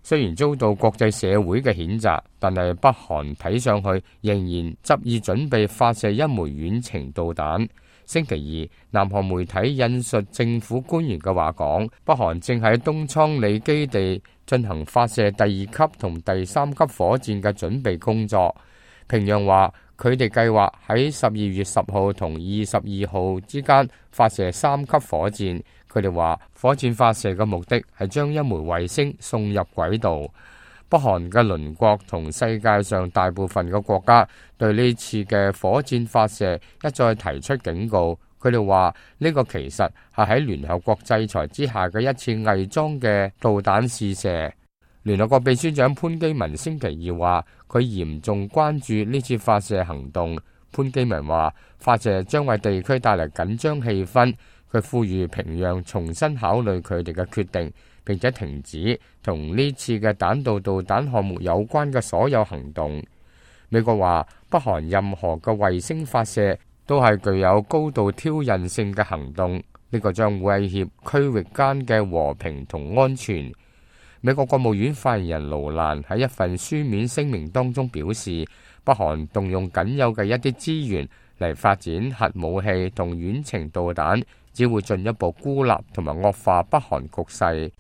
雖然遭到國際社會嘅譴責，但係北韓睇上去仍然執意準備發射一枚遠程導彈。星期二，南韓媒體引述政府官員嘅話講，北韓正喺東倉里基地進行發射第2級同第3級火箭嘅準備工作。平壤話佢哋計劃喺12月10號同22號之間發射3級火箭。佢哋話火箭發射嘅目的係將一枚衛星送入軌道。北韓嘅鄰國同世界上大部分嘅國家對呢次嘅火箭發射一再提出警告。佢哋話呢個其實係喺聯合國制裁之下嘅一次偽裝嘅導彈試射。聯合國秘書長潘基文星期二話，佢嚴重關注呢次發射行動。潘基文話，發射將為地區帶嚟緊張氣氛。佢呼籲平壤重新考慮佢哋嘅決定，並且停止同呢次嘅彈道導彈項目有關嘅所有行動。美國話，北韓任何嘅衛星發射都係具有高度挑釁性嘅行動，呢個將威脅區域間嘅和平同安全。美國國務院發言人盧蘭喺一份書面聲明當中表示，北韓動用僅有嘅一啲資源嚟發展核武器同遠程導彈，只會進一步孤立同埋惡化北韓局勢。